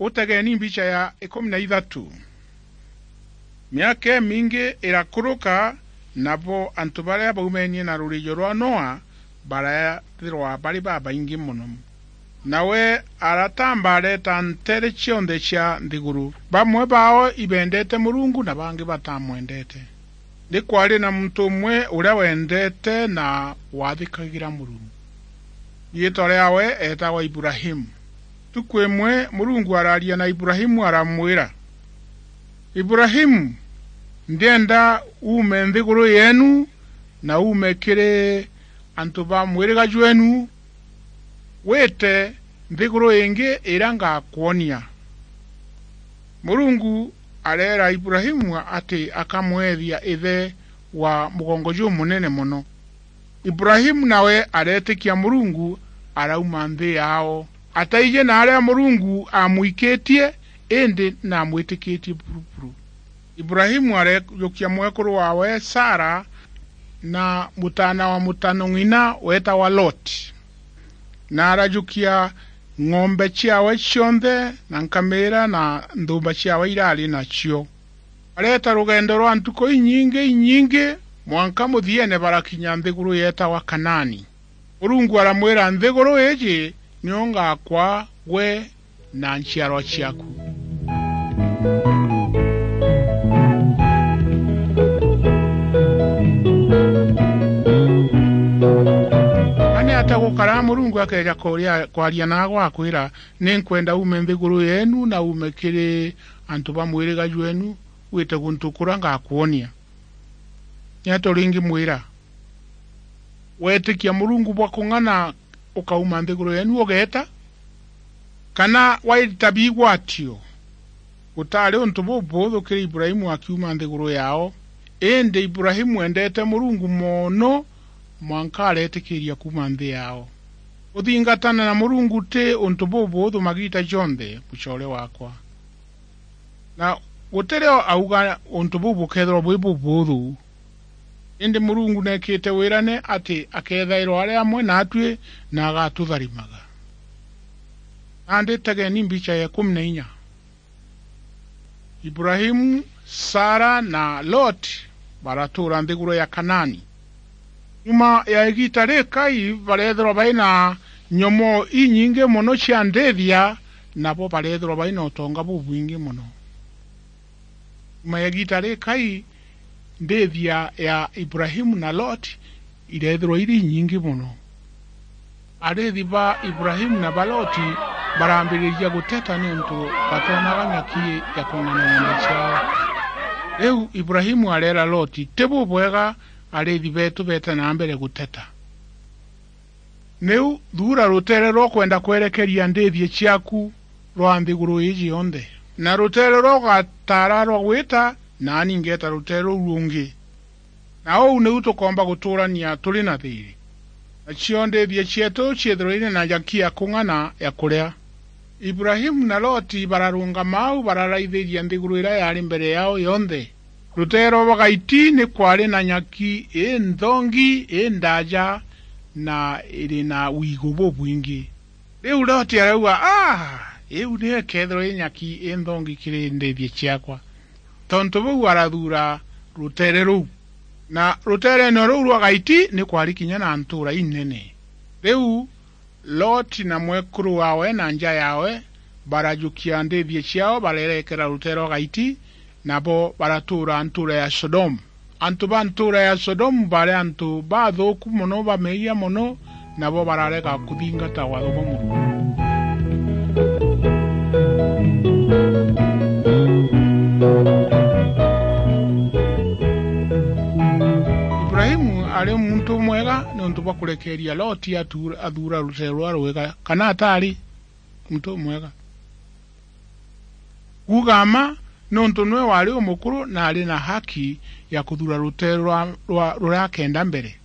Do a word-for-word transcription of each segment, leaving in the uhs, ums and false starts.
Utegeni mbicha ya ikumi na ithatu. Miaka imingi irakuruka, nabo antu baria baumenie na rurijo rwa Noa baraethirwa bari babaingi mono. Nawe aratamba areeta nteere cionthe cia nthiguru. Bamwe baao ibendete Murungu na bangi batamwendete. Ni kwaari na muntu umwe uria wendete na waathikagira Murungu. Riitwa riaawe eetagwa Ibrahimu. Ntuku imwe Murungu araaria na Ibrahimu aramwira, "Ibrahimu, ndienda uume nthiguru yeenu na uume kiri antu ba mwiriga jweenu, wite nthiguru ingi iria ngakwonia." Murungu areera Ibrahimu ati akamweethia ithe wa mugongo jumunene mono. Ibrahimu nawe areetikia Murungu, arauma nthi yaao. Ataiji na aria Murungu aamwikitie, indi naamwitikitie buru buru. Ibrahimu areejukia mwekuru waawe Sara na mutaana wa mutano ng'ina weetagwa Loti, na arajukia ng'ombe ciaawe cionthe na nkamira na nthuumba ciaawe iraari nacio. Bareeta rugendo rwa ntuku inyingi inyingi, mwanka muthieene barakinya nthiguru yeetagwa Kanaani. Murungu aramwira, "Nthiguru iiji niyo ngakwaa gwe na nchiarwa ciaaku." Ani ata gukara Murungu akeeja kuria, kwaria naagwe akwira, "Ninkwenda uume nthiguru yeenu na uume kiri antu ba mwiriga jweenu, wite guntu kuria ngakwonia"? Ni ata uringimwira? Weetikia Murungu bwa kung'ana ukauma nthiguru yeenu ugeeta, kana waita bigwatio? Gutaari untu bubuuthu kiri Ibrahimu akiuma nthiguru yaao, indi Ibrahimu eendete Murungu mono mwanka areetikiiria kuuma nthi yaao. Kuthingatana na Murungu ti untu bubuuthu magiita jonthe, mucoore waakwa. Na guti rio auga untu buu bukeethirwa bwi bubuuthu. Indi Murungu neekite wirane ati akeethairwa ari amwe naatui na agatutharimaga. Nandi tegeni mbicha ya ikumi na inya. Ibrahimu, Sara na Loti baratuura nthiguru ya Kanaani. Nyuma ya igiita rikai, bareethirwa bai na nyomoo inyingi mono cia ndiithia, nabo bareethirwa bai na utonga bubwingi mono. Nyuma ya igiita rikai, ndiithia ya Ibrahimu na Loti ireethirwa iri inyingi mono. Ariithi ba Ibrahimu na ba Loti barambiriria guteta niuntu batonaga nyaki ya kung'ana ng'ombe ciao. Riu Ibrahimu areera Loti, "Ti bubwega ariithi beetu beete na mbere guteta. Niu thuura ruteere rwa ukwenda kwerekeria ndiithia ciaaku rwa nthiguru iiji yonthe, na ruteere rwa ugataara rwa gwita, naani ngeeta ruteere ruu rungi. Na uu niu tukoomba gutuurania turi na thiiri. Nacio ndiithia cieetu ciithirwe iri na nyaki ya kung'ana ya kuria." Ibrahimu na Loti bararungama au, bararaithiria nthiguru iria yaari mbere yaao yonthe. Ruteere rwa gaiti ni kwaari na nyaki inthongi, indaaja, na iri na wiigu bubwingi. Riu Loti arauga, "Ah, iu niyo ikeethirwa i nyaki inthongi kiri ndiithia ciakwa." Tontu buu arathuura ruteere ruu. Na ruteereene ruu rwa gaiti ni kwaari kinya na ntuura inene. Riu Loti na mwekuru waawe na nja yaawe barajukia ndiithia ciao, barerekera ruteere rwa gaiti, nabo baratuura ntuura ya Sodomu. Antu ba ntuura ya Sodomu baari antu bathuuku mono, ba meeyia mono, nabo bararega kuthingata waatho bwa Murungu. Ibrahimu aari muntu umwega niuntu bwa kurekeeria Loti atu-, athuura ruteere ruria rwega, kana ataari muntu umwega? Kuuga mma, niuntu niwe waari umukuru na aari na haki ya kuthuura ruteere rwa, rwa, ruria akenda mbere.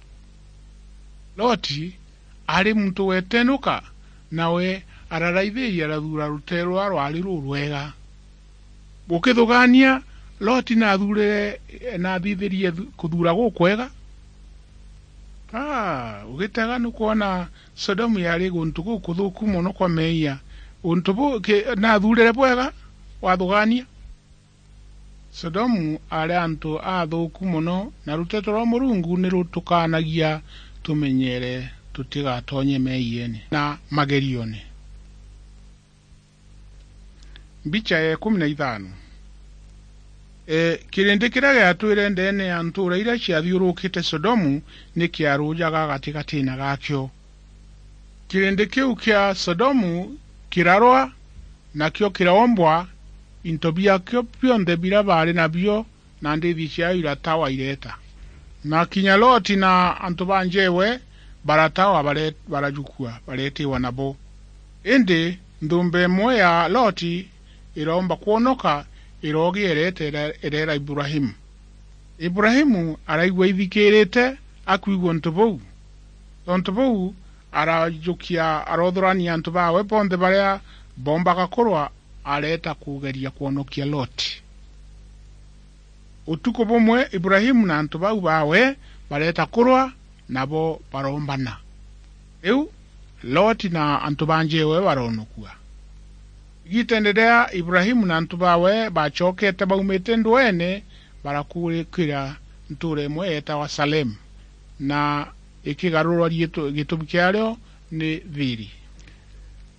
Loti aari muntu wetenuka, nawe araraithiria arathuura ruteere ruria rwaari rurwega. Gukithugaania, Loti naathuurire, naathithirie thu-, kuthuura gukwega? Ah, ugitega nukwona Sodomu yaari guntu gukuthuuku mono kwa meeyia. Untu bu ki-, naathuurire bwega, wathugaania? Sodomu aari antu aathuuku mono, na ruteto rwa Murungu ni rutukaanagia tumenyeere tutigatonye meeyiene na magerione. Mbicha ya ikumi na ithano. E, kirindi kiria giatwire ndeene ya ntuura iria ciathiurukite Sodomu ni kiarujaga gatigatiine gaakio. Kirindi kiu kia Sodomu kirarwa, nakio kiraombwa, into biakio bionthe biria baari nabio na ndiithi ciayo iratawa ireeta. Na kinya Loti na antu ba njeewe baratawa, bare-, barajukua, bareetiwa nabo. Indi nthumba imwe ya Loti iroomba kwonoka, iroogia ireeta, ire-, ireera Ibrahimu. Ibrahimu araigua ithikiirite akwigua untu buu. Tontu buu, arajukia, aroothurania antu baawe bonthe baria boombaga kurwa, areeta kugeria kwonokia Loti. Utuku bumwe, Ibrahimu na antu bau baawe bareeta kurwa, nabo baroombana. Riu, Loti na antu ba njeewe baroonokua. Igiiteene riria Ibrahimu na antu baawe baacokete baumite ndweene, barakurukira ntuura imwe yeetagwa Salemu, na ikigarurwa riitwa, gitumi kiario ni Thiiri.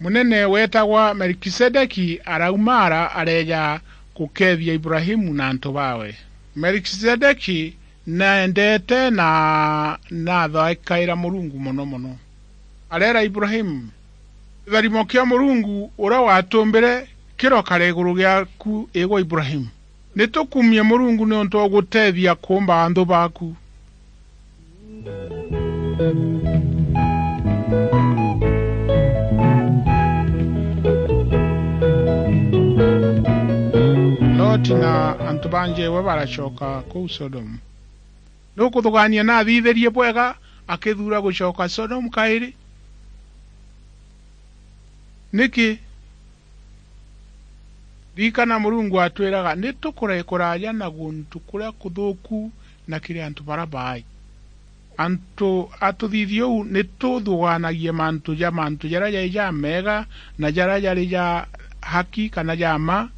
Munene weetagwa Melkisedeki arauma ara areeja gukeethia Ibrahimu na antu baawe. Melkisedeki naendete na naathaikaira Murungu mono mono. Areera Ibrahimu, "Kitharimo kia Murungu uria watumbire kirokare iguru giaku, igwe Ibrahimu. Ni tukumie Murungu niuntu wa guteethia kuumba anthu baaku." Loti na antu ba njeewe baracoka kuu Sodomu. Nukuthugaania naathithirie bwega akithuura gucoka Sodomu kairi? Niki? Ririkana Murungu atwiraga, "Ni tukure kuraaja na guntu kuria kuthuuku na kiri antu baria baai." Antu a tuthithio uu ni tuthugaanagia mantu ja mantu jaria jai jameega na jaria jari ja haki kana ja mma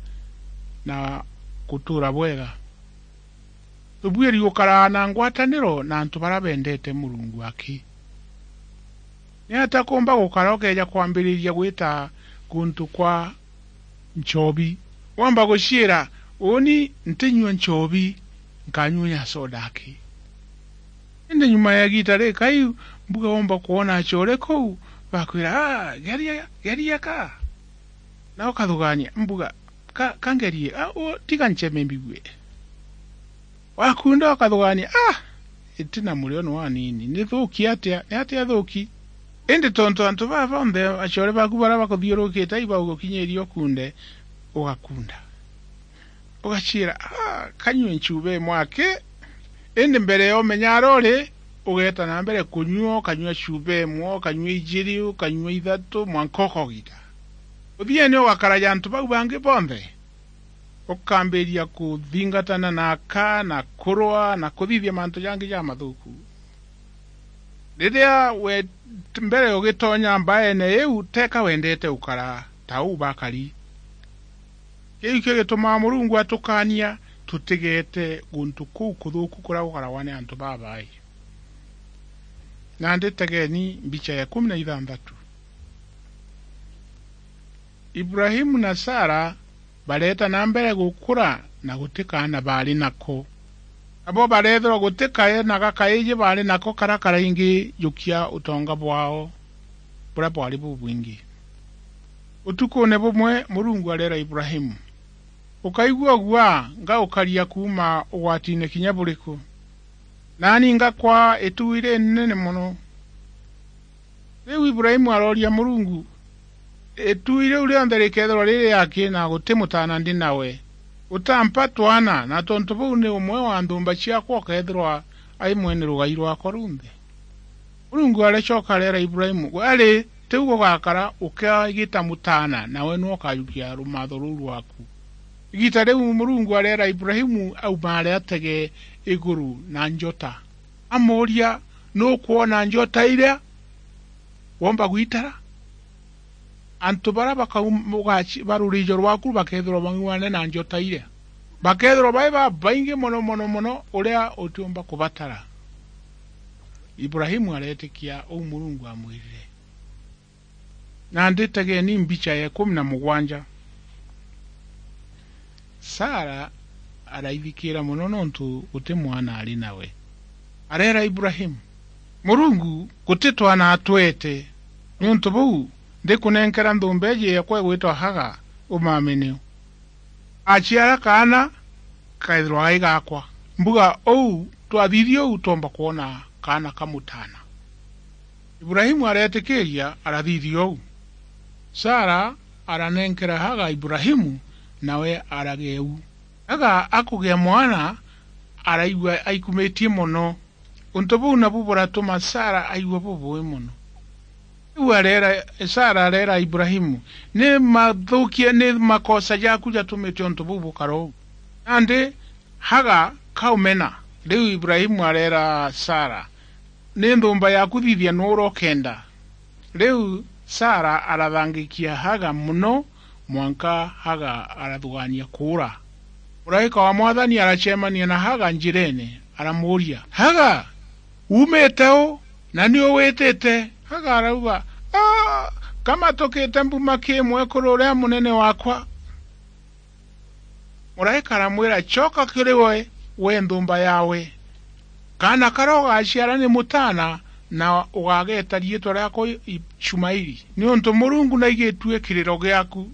na gutuura bwega. Tubuiri gukaraa na ngwataniro na antu baria bendete Murungu aki. Niatia kuumba gukara ukeeja kwambiriria gwita guntu kwa nchobi? Womba guciira, "Uuni ntinyua nchobi, nkanyua ya soda aki." Indi nyuma ya igiita rikai, mbuga womba kwona acore kuu, bakwira, "Ah, geria, geria ka." Na ukathugaania, mbuga, "Ka, ka ngerie, ah, u-, tiga nceme mbigue." Wakunda ukathugaania, "Ah, iti na murio ni wanini, ni thuuki atia, ni atia thuuki?" Indi tontu antu baa bonthe acore baaku baria bakuthiurukite ibaugukinyiria ukunde, ugakunda. Ugaciira, "Ah, kanyue nchuba imwe aki." Indi mbere ya umenya aria uri, ugeeta na mbere kunyua, ukanyua chuba imwe, ukanyua ijiri, ukanyua ithatu, mwanka ukogita. Uthiene ugakara ja antu bau bangi bonthe, ukambiria kuthingatana na aka, na kurwa, na kuthithia mantu jangi jamathuku. Riria we mbere ugitonya mbaene iu, teka wendete gukara ta uu bakari. Kiu kio gitumaa Murungu atukaania tutigeete guntu kuu kuthuuku kuria gukaragwa ni antu babaai. Nandi tegeni mbicha ya ikumi na ithanthatu. Ibrahimu na Sara bareeta na mbere gukura na guti kaana baari nako. Nabo bareethirwa guti kaana gakaiji baari nako karia karaingi jukia utonga bwao buria bwari bubwingi. Utukuune bumwe Murungu areera Ibrahimu, "Ukaigua guaa ngaukaria kuuma ugwatiine kinya buriku? Naani ngakwaa itui ririnene mono." Riu Ibrahimu arooria Murungu, "Itui riu rionthe rikeethirwa riri aki na guti mutaana ndi nawe, utampa twana, na tontu buu ni umwe wa nthumba ciakwa ukeethirwa ai mwene rugai rwakwa runthe?" Murungu aracoka areera Ibrahimu, "Gwe ari, tiu gugakara, ukeegita mutaana, nawe niwe ukajukia rumaatho ruu rwaku." Igiita riu Murungu areera Ibrahimu aumaare atege iguru na njota. Amuuria, "Nukwona njota iria? Womba gwitara?" Antu baria bakaum-, ugaci-, ba rurijo rwaku bakethirwa bang'uane na njota iria. Bakethirwa bai babaingi mono, mono, mono, uria utiumba kubatara. Ibrahimu aretikia uu Murungu amwirire. Nandi tegeni mbicha ya ikumi na mugwanja. Sara araithikira mono nontu guti mwana ari nawe. Areera Ibrahimu, "Murungu guti twana atwete, niuntu buu ndikunenkera nthumba iji yakwa igwitwa Haga umamini. Aciara kaana, kethirwa gai gakwa. Mbuga uu, twathithia uu, twomba kwona kaana ka mutaana." Ibrahimu areetikiiria, arathithia uu. Sara aranenkera Haga Ibrahimu, nawe aragea uu. Haga akugea mwana, araigua aikumitie mono. Untu buu nabu buratuma Sara aigua bubui mono. Riu areera, Sara areera Ibrahimu, "Ni mathukia, ni makosa jaku jatumite untu buu bukara uu." Nandi Haga kaumena. Riu Ibrahimu areera Sara, "Ni nthumba yaku, thithia nuu urokenda." Riu Sara arathangikia Haga mono, mwanka Haga arathugania kuura. Muraika wa Mwathani aracemania na Haga njirene, aramuuria, "Haga, uumite u, na ni u witite?" Haga arauga, "Aa, kamatukite mbuma ki mwekuru uria munene wakwa." Muraika aramwira, "Coka kiri we, we nthumba yawe. Kaana karia ugaciara ni mutaana, na ugageeta riitwa riaakwa I-, Ishumaili, niuntu Murungu naigitue kiriro giaku.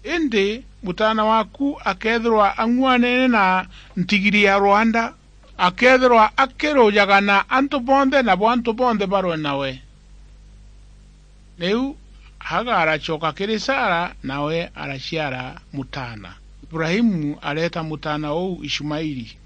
Indi mutaana waaku akeethirwa ang'uanene na ntigiri ya rwanda, akeethirwa akirujaga na antu bonthe, nabo antu bonthe barwe nawe." Riu Haga aracoka kiri Sara, nawe araciara mutaana. Ibrahimu areeta mutaana uu Ishumaili.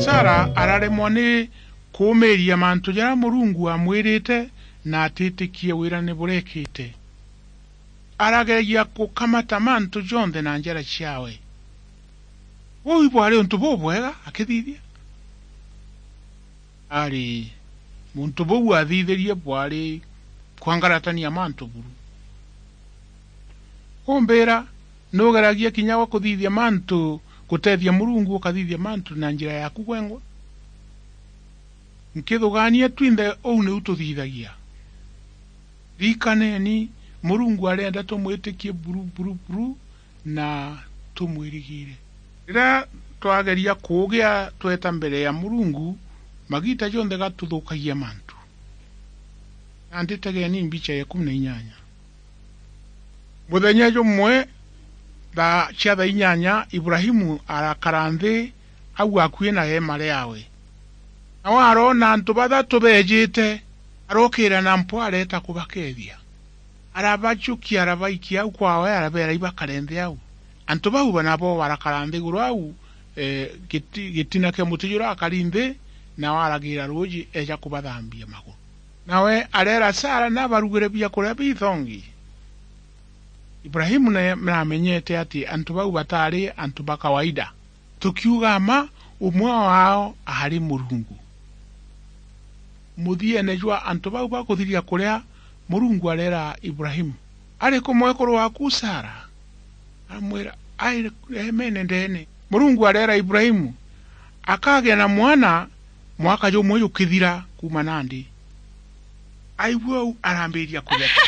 Sara araremwa ni kuumiiria mantu jaria Murungu aamwirite na atitikie wira ni burekite. Arageragia gukamata mantu jonthe na njara ciawe. Buu ibwari untu bubwega akithithia? Ari, muntu buu athithirie bwari kwangaratania mantu buru. Umbira, nugeragia kinya gwa kuthithia mantu, gutethia Murungu ukathithia mantu na njira yaku gwengwa? Nkithugania twinthe uu niu tuthithagia. Ririkaneni, Murungu arenda tumwitikie buru, buru, buru, na tumwirigire. Riria twageria kuugia tweta mbere ya Murungu, magiita jonthe gatuthukagia mantu. Nandi tegeni mbicha ya ikumi na inyanya. Muthenya jumwe, thaa cia thaa inyanya, Ibrahimu arakara nthi au akui na eema riawe. Nawe aroona antu bathatu beejite, arookira na mpwa areeta kubakeethia. Arabajukia, arabaikia au kwaawe, arabeera ibakare nthi au. Antu bau ba-, nabo barakara nthiguru au, ee, giti-, gitina kia muti juria akari nthi, nawe aragiira ruuji eeja kubathambia maguru. Nawe areera Sara nabarugire biakuria bithongi. Ibrahimu na-, naamenyete ati antu bau bataari antu ba kawaida. Tukiuga mma, umwe waao aari Murungu. Muthiene jwa antu bau bakuthiria kuria, Murungu areera Ibrahimu, "Ariku mwekuru waaku Sara?" Aramwira, "Ari eemene ndeene." Murungu areera Ibrahimu, "Akagea na mwana mwaka jumwe jukithira kuuma nandi." Aigua uu, arambiria kutheka.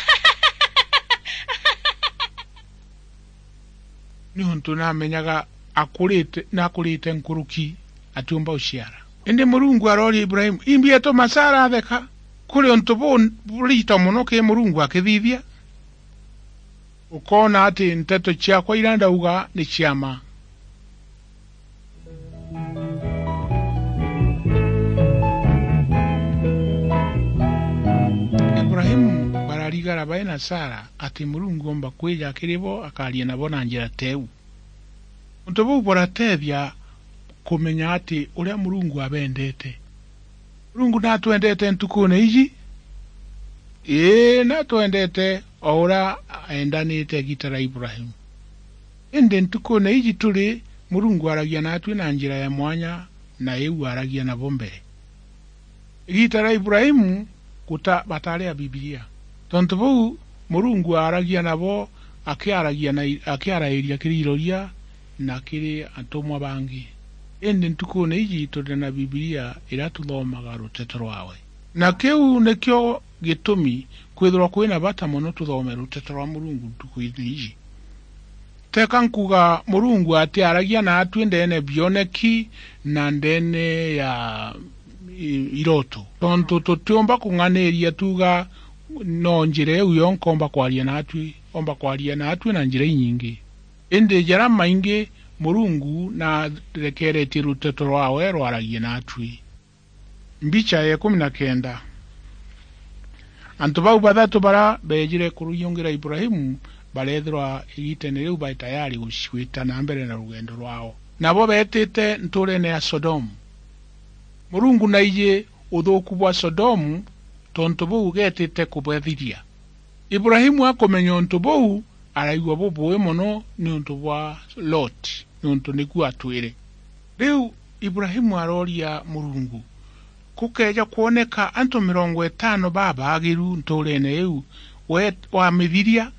Niuntu namenyaga akurite, nakurite nkuruki, atiumba uciara. Indi Murungu arooria Ibrahimu, "Imbi etuma Sara atheka? Kuri untu bu-, burito mono ki Murungu akithithia? Ukoona ati nteto ciakwa iria ndauga ni cia mma." Ibrahimu bararigara bai na Sara ati Murungu oomba kwija kiri bo akaria nabo na njira teu. Untu buu burateethia kumenya ati uria Murungu abendete. Murungu natwendete ntukuune iji? Ii, natwendete o uria eendanite igiita ria Ibrahimu. Indi ntukuune iji turi, Murungu aaragia naatui na njira ya mwanya, na iu aaragia nabo mbere. Igiita ria Ibrahimu guta-, bataari a Bibilia. Tontu buu, Murungu aaragia nabo akiaragia na i-, akiarairia kiri iroria na kiri atumwa bangi. Indi ntukuune iji turi na Bibilia iria tuthomaga ruteto rwawe. Na kiu nikio gitumi kwithirwa kwina bata mono tuthome ruteto rwa Murungu ntukuune iji. Teka nkuuga Murungu atiaragia naatui ndeene bioneki na ndeene ya i-, iroto. Tontu tutiumba kung'aniria tuuga no njira iu yonka omba kwaria naatui, omba kwaria naatui na njira inyingi. Indi jaria maingi Murungu narekeretie ruteto rwawe rwaragie naatui. Mbicha ya ikumi na kenda. Antu bau bathatu baria beejire kuruyungira Ibrahimu bareethirwa igiiteene riu bae tayari guci-, gwita na mbere na rugendo rwao. Nabo beetite ntuureene ya Sodomu. Murungu naiji uthuuku bwa Sodomu, tontu buu geetite kubathiria. Ibrahimu akumenya untu buu, araigua bubui mono niuntu bwa Loti, niuntu niku atwire. Riu Ibrahimu arooria Murungu, "Kukeeja kwoneka antu mirongo itano babaagiru ntuureene iu, we wamithiria?"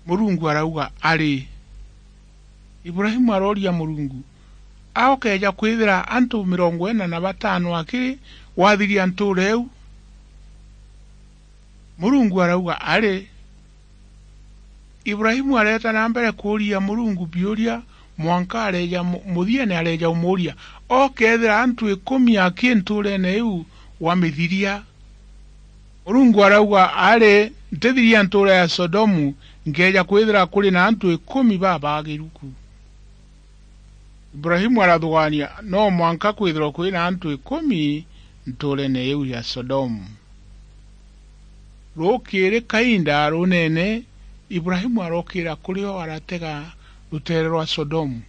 Murungu arauga, "Ari." Ibrahimu arooria Murungu, "A ukeeja kwithira antu mirongo ina na batano akiri, wathiria ntuura iu?" Murungu arauga, "Ari." Ibrahimu areeta na mbere kuuria Murungu biuria, mwanka areeja mu-, muthiene areeja umuuria, "Okeethira antu ikumi aki ntuureene iu wamithiria?" Murungu arauga, "Ari, ntithiria ntuura ya Sodomu, nkeeja kwithira kuri na antu ikumi babaagiru ku." Ibrahimu arathugaania, no mwanka kwithirwa kwina antu ikumi ntuureene iu ya Sodomu. Rukiiri kainda runeene, Ibrahimu arokiira kuri o aratega ruteere rwa Sodomu.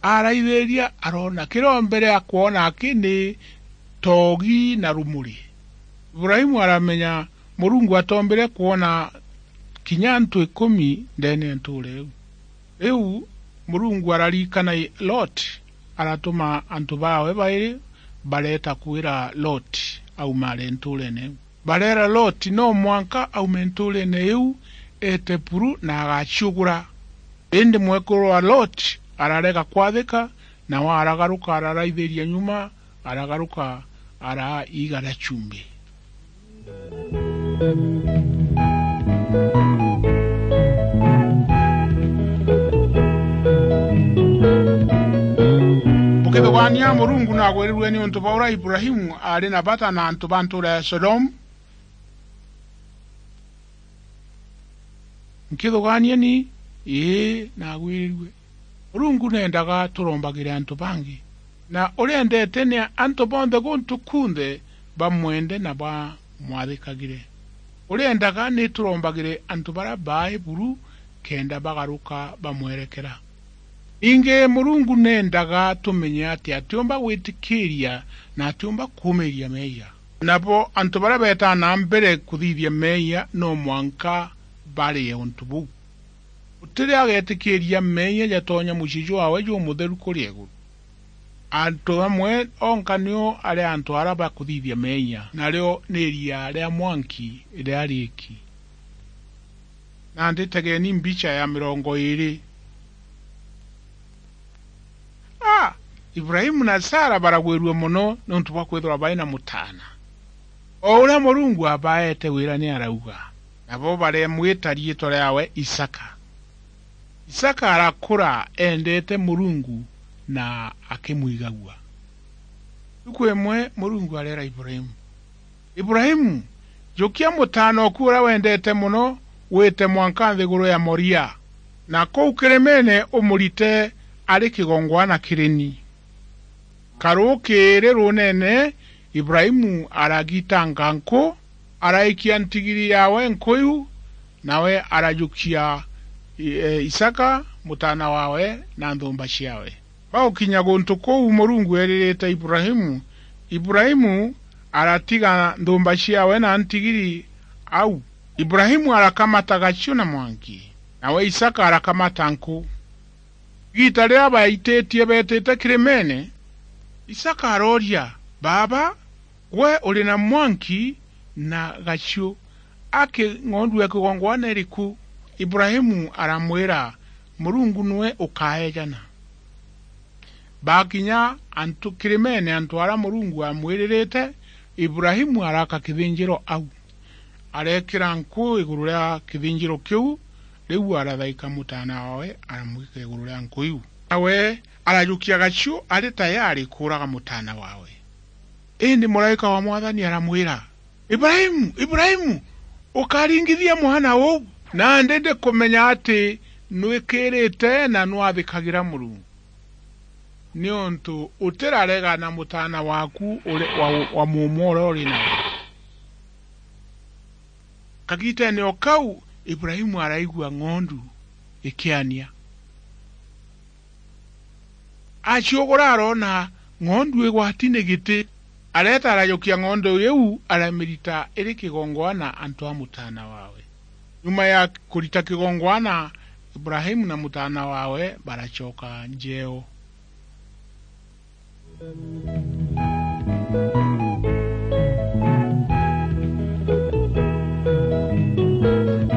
Araithiria, aroona kiria o mbere akwona aki ni toogi na rumuri. Ibrahimu aramenya Murungu atoombire kwona kinya antu ikumi ndeene ya ntuura iu. Riu Murungu araririkana Loti, aratuma antu baawe bairi bareeta kwira Loti aumare ntuureene iu. Bareera Loti no mwanka aume ntuureene iu eete buru na agaciugura. Indi mwekuru wa Loti ararega kwathika, nawe aragaruka araraithiria nyuma, aragaruka araa iiga ria chumbi. Bukithugaania, Murungu nagwirirue niuntu bwa uria Ibrahimu aari na bata na antu ba ntuura ya Sodomu? Nkithugaanieni, ii, nagwirirue. Murungu neendaga turombagire antu bangi. Na uria endeete ni antu bonthe guntu kunthe bamwende na bamwathikagire. Uria endaga ni turombagire antu baria baai buru kenda bagaruka bamwerekera. Ningi Murungu neendaga tumenye ati atiumba gwitikiiria na atiumba kuumiiria meeyia. Nabo antu baria beetaa na mbere kuthithia meeyia no mwanka barie untu buu. Guti ria ageetikiiria meeyia jatonya mucii jwaawe jumutheru kuria iguru. Antu amwe onka nio ari antu aria bakuthithia meeyia, nario ni iria ria mwanki riria riiki. Nandi tegeni mbicha ya mirongo iiri. A! Ibrahimu na Sara baragwirua mono niuntu bwa kwithirwa bai na mutaana. O uria Murungu abaete wira ni arauga, nabo baremwita riitwa riawe Isaka. Isaka arakura eendete Murungu na akimwigagua. Ntuku imwe Murungu areera Ibrahimu, "Ibrahimu, jukia mutaana oku uria wendete mono, wite mwanka nthiguru ya Moria, na kuu kirimeene umurite ari kigongwana kiri ni." Karukiiri runeene, Ibrahimu aragitanga nku, araikia ntigiri yaawe nku iu, nawe arajukia, e, Isaka, mutaana waawe, na nthumba ciaawe. Bagukinya guntu kuu Murungu eeririte Ibrahimu, Ibrahimu aratiga nthumba ciaawe na ntigiri au. Ibrahimu arakamata gaciu na mwanki, nawe Isaka arakamata nku. Igiita riria baititie beetite kirimeene, Isaka arooria, "Baaba, gwe uri na mwanki na gaciu, aki ng'ondu ya kigongwana iriku?" Ibrahimu aramwira, "Murungu niwe ukaejana." Baakinya antu kirimeene, antu aria Murungu aamwiririte, Ibrahimu araaka kithinjiro au. Areekira nku iguru ria kithinjiro kiu, riu arathaika mutaana waawe, aramwika iguru ria nku iu. Nawe arajukia gaciu ari tayari kuuraga mutaana waawe. Indi muraika wa Mwathani aramwira, "Ibrahimu, Ibrahimu, ukaringithia mwana uu, nandi ndikumenya ati nwikirite na nwathikagira Murungu, niuntu utirarega na mutaana waaku uri, wa, wa muumwe uria uri nawe." Kagiiteene o kau, Ibrahimu araigua ng'ondu ikiania. Aciugura aroona ng'ondu igwati ni giti. Areeta arajukia ng'ondu iu, aramirita iri kigongwana antu a mutaana waawe. Nyuma ya kurita kigongwana, Ibrahimu na mutaana waawe baracoka njeeo.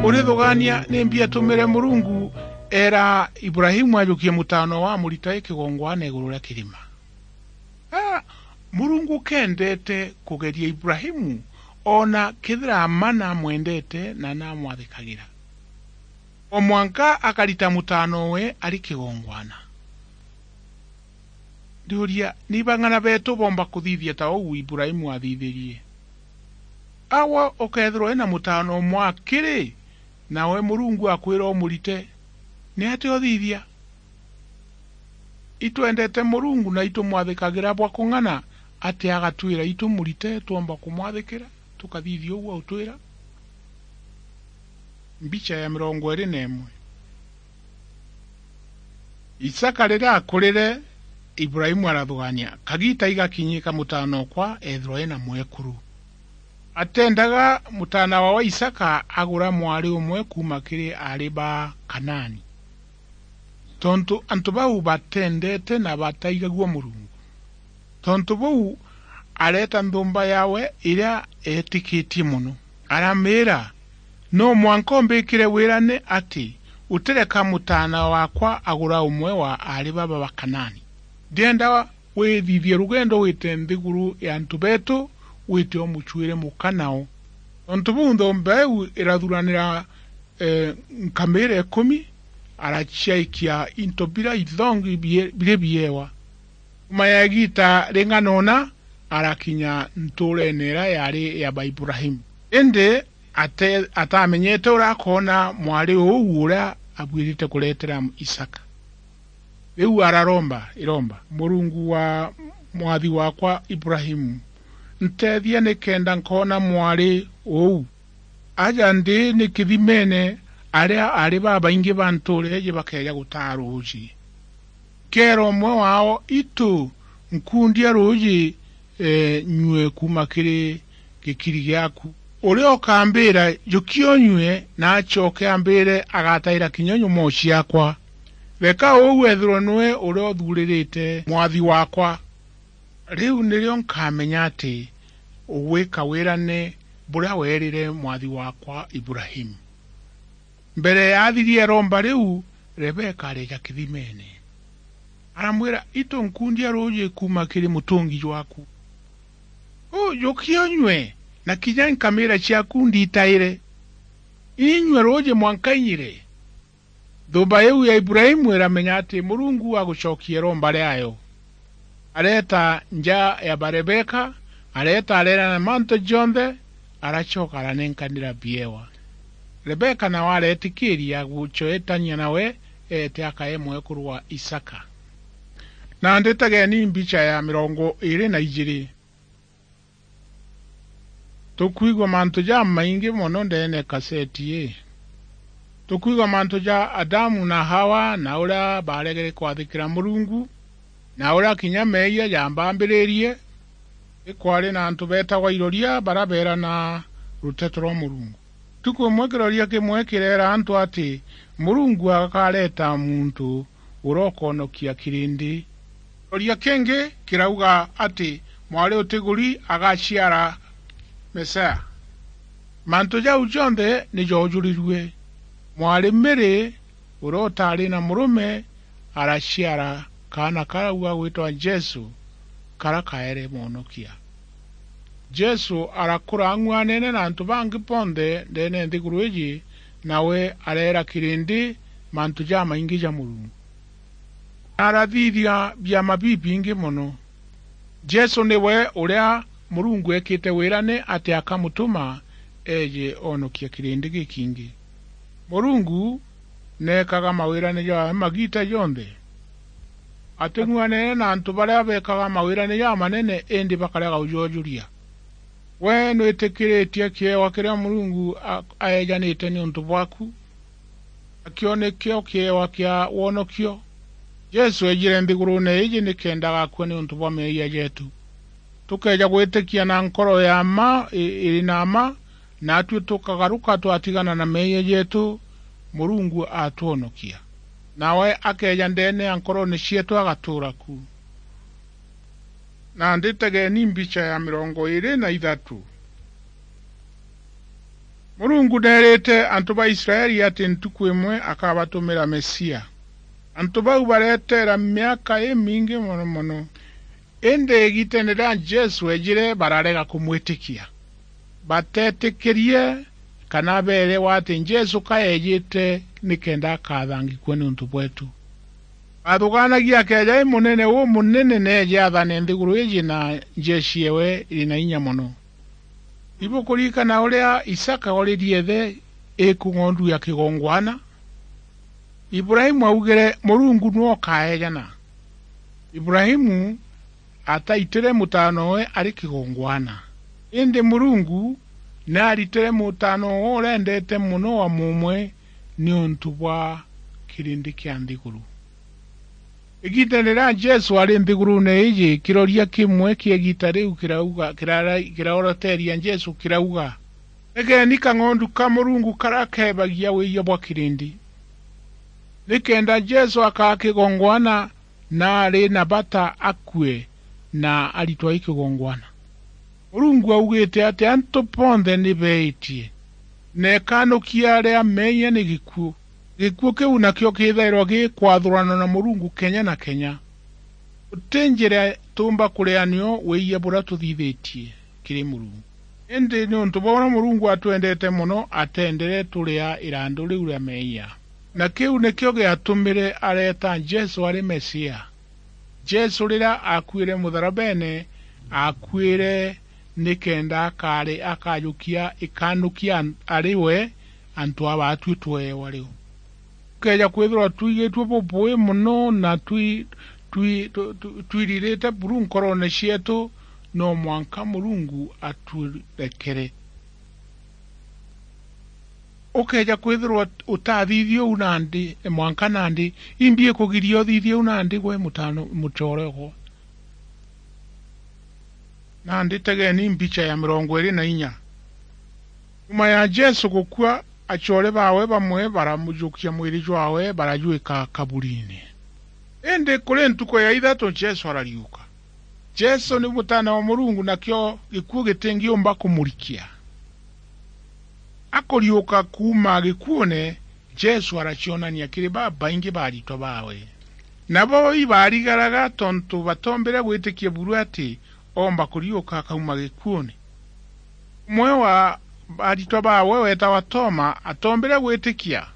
Urithugaania nimbi atumire Murungu eera Ibrahimu ajukie mutaana wa amurita i kigongwana iguru ria kirima? A, Murungu kendete kugeria Ibrahimu, ona kethira mma namwendete na namwathikagira. O mwanka akarita mutaana we ari kigongwana. Ndiuria, ni bang'ana beetu boomba kuthithia ta uu Ibrahimu aathithirie? Agwe ukeethirwa wina mutaana umwe akiri, nawe Murungu akwira umurite, ni atia uthithia? Itwendete Murungu na itumwathikagira bwa kung'ana, atia agatwira itumurite twomba kumwathikira, tukathithia uu autwira? Mbicha ya mirongo iiri na imwe. Isaka riria akurire, Ibrahimu arathugania, "Kagiita igakinyika mutaana okwa eethirwa ena mwekuru." Atendaga mutaana wa, wa Isaka agura mwari umwe kuuma kiri aari ba Kanaani, tontu antu bau batendete na bataigagua Murungu. Tontu buu, areeta nthumba yaawe iria eetikitie mono, aramiira, "No mwanka umbikire wirane ati utireka mutaana waakwa agura umwe wa aari baba ba Kanaani. Ndienda withithie rugendo wite nthiguru ya antu beetu, wite umucuire muka nao." Tontu buu, nthumba iu irathuranira, e, nkamiira ikumi, araciaikia into bira ithongi bie-, biri biewa. Nyuma ya igiita ring'ana una, arakinya ntuureene iria yaari ya ba Ibrahimu. Indi ate-, atamenyete uria akoona mwari uu uria abuirite kureetera Isaka. Riu araromba iromba, "Murungu wa mwathi waakwa Ibrahimu, nteethia nikenda nkoona mwari uu. Aja ndi ni kithimeene, aria aari babaingi ba ntuura iji bakeeja gutaa ruuji. Keera umwe waao, 'Itu, nkundia ruuji, e, nyue kuuma kiri gikiri giaaku.' Uria ukambiira, 'Jukia unyue,' na acoke ambiire, agataira kinya nyomoo ciaakwa. Reka uu eethirwe niwe uria uthuuririte mwathi waakwa. Riu nirio nkamenya ati ugwika wirane buria weerire mwathi waakwa Ibrahimu." Mbere ya athirie iromba riu, Rebeka areeja kithimeene. Aramwira, "Itu, nkundia ruuji kuuma kiri mutungi jwaaku. Uu, jukia unyue, na kinya nkamiira ciaaku ndiitaire. Inyue ruuji mwanka inyire." Nthumba iu ya Ibrahimu iramenya ati Murungu agucokia iromba riaayo. Areeta nja ya ba Rebeka, areeta areerana mantu jonthe, aracoka aranenkanira biewa. Rebeka nawe areetikiiria gucoetania nawe eete akae mwekuru wa Isaka. Nandi tegeni mbicha ya mirongo iiri na ijiiri. Tukwigua mantu jamaingi mono ndeene ya kaseti ii. Tukwigua mantu ja Adamu na Hawa, na uria baaregere kwathikira Murungu, na uria kinya meeyia jambambiririe. Ikwari na antu beetagwa iroria baria beerana ruteto rwa Murungu. Ntuku imwe kiroria kimwe kireera antu ati Murungu akareeta muntu uria ukoonokia kirindi. Kiroria kingi kirauga ati mwari utiguri agaciara Mesia. Mantu jau jonthe ni joojurirue. Mwari Mary, uria utaari na murume, araciara kaana karau gagwitwa Jesu, karia kaere Mwonokia. Jesu arakura ang'uanene na antu bangi bonthe ndeene ya nthiguru iji, nawe areera kirindi mantu jamaingi ja Murungu. Na arathithia biama bibingi mono. Jesu niwe uria Murungu eekite wira ni ati akamutuma eeje oonokia kirindi gikingi. Murungu neekaga mawirane jaawe magiita jonthe. Ating'uanene na antu baria beekaga mawirane jamanene indi bakarega ujoojuria. We nwitikiiritie kiewa kiria Murungu a-, aejanite niuntu bwaku? Nakio nikio kiewa kia wonokio. Jesu eejire nthiguruune iiji nikenda agakua niuntu bwa meeyia jeetu. Tukeeja gwitikia na nkoro ya mma i-, iri na mma, naatui tukagaruka twatigana na meeyia jeetu, Murungu atwonokia. Nawe akeeja ndeene ya nkoroone cieetu agatuura ku. Nandi tegeeni mbicha ya mirongo iiri na ithatu. Murungu neerite antu ba Israeli ati ntuku imwe akabatumira Mesia. Antu bau bareteera miaka imingi mono mono. Indi igiiteene riria Jesu eejire, bararega kumwitikia. Bateetikirie kana beerewa ati Jesu ka eejite nikenda akathangikua niuntu bweetu. Bathugaanagia akeeja i munene umunene neeje athane nthiguru iiji na njeshi yewe iri na inya mono. Ibukuririkana uria Isaka ooririe ithe iku ng'ondu ya kigongwana? Ibrahimu augire, "Murungu niwe ukaejana." Ibrahimu ataitire mutaanowe ari kigongwana. Indi Murungu ni aaritire mutaanowe uria endeete mono wa mumwe niuntu bwa kirindi kia nthiguru. Igiita riria Jesu ari nthiguruune iiji, kiroria kimwe kia igiita riu kirauga, kirara-, kiraoroteria Jesu kirauga, "Tegeeni kang'ondu ka Murungu karia keebagia wiiyia bwa kirindi." Nikenda Jesu akaa kigongwana, na ari na bata akue na aritwa i kigongwana. Murungu augite ati antu bonthe ni beetie, na ikanukia ria meeyia ni gikuu. Gikuu kiu nakio kiithairwa gikwathurana na Murungu kenya na kenya. Guti njira tuumba kuria nio wiiyia buria tuthithitie kiri Murungu. Indi niuntu bwa uria Murungu atwendete mono, atendere turia irandu riu ria meeyia. Na kiu nikio giatumire areeta Jesu ari Mesia. Jesu riria aakuire mutharabene, aakuire nikenda akaari-, akajukia ikanukia an-, ari we antu aba atui tweewa riu. Tukeeja kwithirwa twigitue bubui mono na twi-, twi-, tu-, tu-, twiririte buru nkoroone cieetu, no mwanka Murungu aturekere. Ukeeja kwithirwa utathithia uu nandi, mwanka nandi, imbi ikugiria uthithie uu nandi gwe mutano, mucoore okwa? Nandi tegeeni mbicha ya mirongo iiri na inya. Nyuma ya Jesu gukua, acoore baawe bamwe baramujukia mwiri jwaawe, barajwika kaburiine. Indi kuri ntuku ya ithatu Jesu arariuka. Jesu ni Mutaana wa Murungu, nakio gikuu gitingiumba kumurikia. Akuriuka kuuma gikuune, Jesu aracionania kiri babaingi ba aritwa baawe. Nabo ibarigaraga tontu batoombire gwitikia buru ati oomba kuriuka akauma gikuune. Umwe wa aritwa baawe weetawa Toma atoombire gwitikia.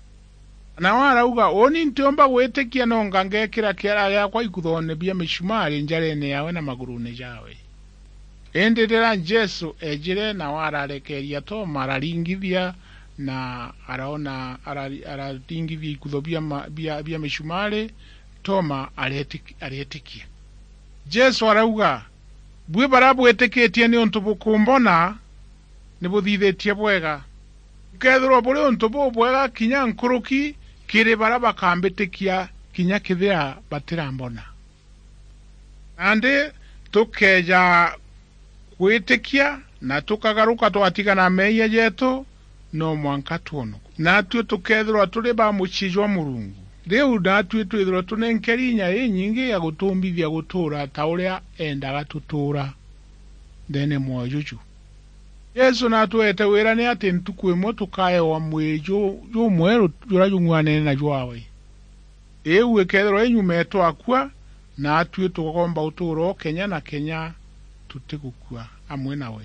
Nawe arauga, "Uuni ntiumba gwitikia, nonga ngeekira kiara giakwa ikuthoone bia micumari njareene yaawe na maguruune jaawe." Indi riria Jesu eejire, nawe ararekeeria Toma, araringithia, na araona, arari-, araringithia ikutho bia ma-, bia, bia micumari, Toma areetiki-, areetikia. Jesu arauga, "Bui baria bwitikitie niuntu bukumbona, ni buthithitie bwega. Bukeethirwa buri untu bubwega kinya nkuruki kiri baria bakambitikia kinya kethira batirambona." Nandi tukeeja gwitikia na tukagaruka twatigana na meeyia jeetu, no mwanka twonokue. Naatui tukeethirwa turi ba mucii jwa Murungu. Riu naatui twithirwe tunenkeri inya inyingi ya gutumbithia gutuura ta uria eendaga tutuura ndeene mwoyo juju. Jesu naatweete wira ni ati ntuku imwe tukaewa mwiri ju-, jumweru juria jung'uanene na jwaawe. Iu ikeethirwa inyuma eetwa akua, naatui tukoomba utuura o kenya na kenya tutigukua amwe nawe.